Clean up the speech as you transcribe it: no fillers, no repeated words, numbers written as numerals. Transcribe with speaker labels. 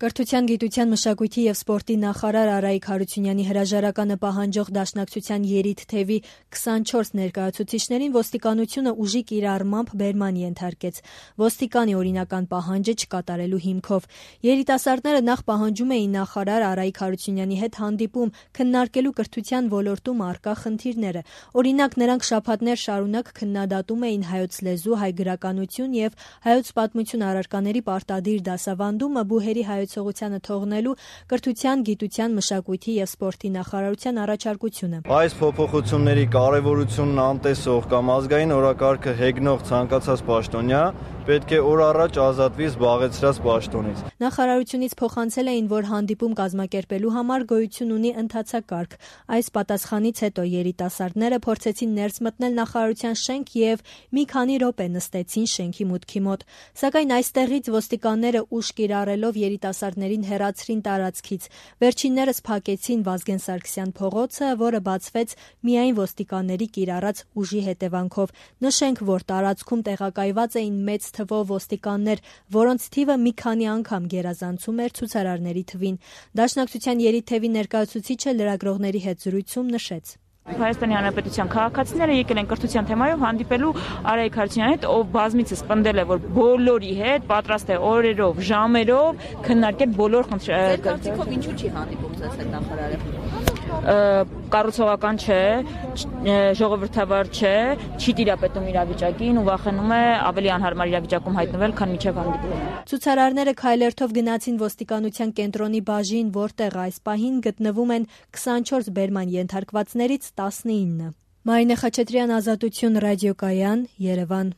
Speaker 1: Կրթության, գիտության, մշակույթի և սպորտի նախարար Արայիկ Հարությունյանի հրաժարականը պահանջող Դաշնակցության երիտ-թևի 24 ներկայացուցիչներին ոստիկանությունը ուժի կիրառմամբ բերման ենթարկեց։ Ոստիկանի օրինական պահանջը չկատարելու հիմքով։ Երիտասարդները նախ պահանջում էին նախարար Արայիկ Հարությունյանի հետ հանդիպում քննարկելու կրթության ոլորտում առկա խնդիրները։ Օրինակ, նրանք շաբաթներ շարունակ քննադատում էին հայոց լեզու, հայ գրականություն և հայոց պատմություն առարկաների պարտադիր դասավանդումը բուհերի հայեցողությանը թողնելու կրթության, գիտության, մշակույթի և սպորտի նախարարության առաջարկությունը։
Speaker 2: Այս փոփոխությունների կարևորությունն անտեսող կամ ազգային օրակարգը հեգնող ցանկացած պաշտոնյա պետք է օր առաջ ազատվի զբաղեցրած պաշտոնից։
Speaker 1: Նախարարությունից փոխանցել էին, որ հանդիպում կազմակերպելու համար գոյություն ունի ընթացակարգ։ Այս պատասխանից հետո երիտասարդները փորձեցին ներս մտնել նախարարության շենք և մի քանի րոպե նստեցին շենքի մուտքի մոտ։ Սակայն այստեղից ոստիկանները ուժ կիրառելով երիտասարդներին հեռացրին տարածքից։ Վերջիններս փակեցին Վազգեն Սարգսյան փողոցը, որը բացվեց միայն ոստիկանների կիրառած ուժի հետևանքով։ Նշենք, որ տարածքում տեղակայված էին մեծ թվով ոստիկաններ, որոնց թիվը մի քանի անգամ գերազանցում էր ցուցարարների թվին։ Դաշնակցության երիտ-թևի ներկայացուցիչը լրագրողների հետ զրույցում նշեց.
Speaker 3: Հայաստանի Հանրապետության քաղաքացիները եկել են կրթության թեմայով հանդիպելու Արայիկ Հարությունյանի հետ, ով բազմիցս պնդել է, որ բոլորի հետ պատրաստ է օրերով, ժամերով քննարկել բոլոր խնդիրները։
Speaker 4: Ձեր կարծիքով ինչու չի հանդիպում ձեզ հետ նախարարը?
Speaker 3: Կառուցողական չէ, ժողովրդավար չէ, չի տիրապետում իրավիճակին ու վախենում է ավելի անհարմար իրավիճակում հայտնվել, քան մինչև հանդիպումը։
Speaker 1: Ցուցարարները քայլերթով գնացին ոստիկանության կենտրոնի բաժին, որտեղ այս պահին գտնվում են 24 բերման ենթարկվածներից 19։ Մարինե Խաչատրյան, Ազատություն ռադիոկայան, Երևան։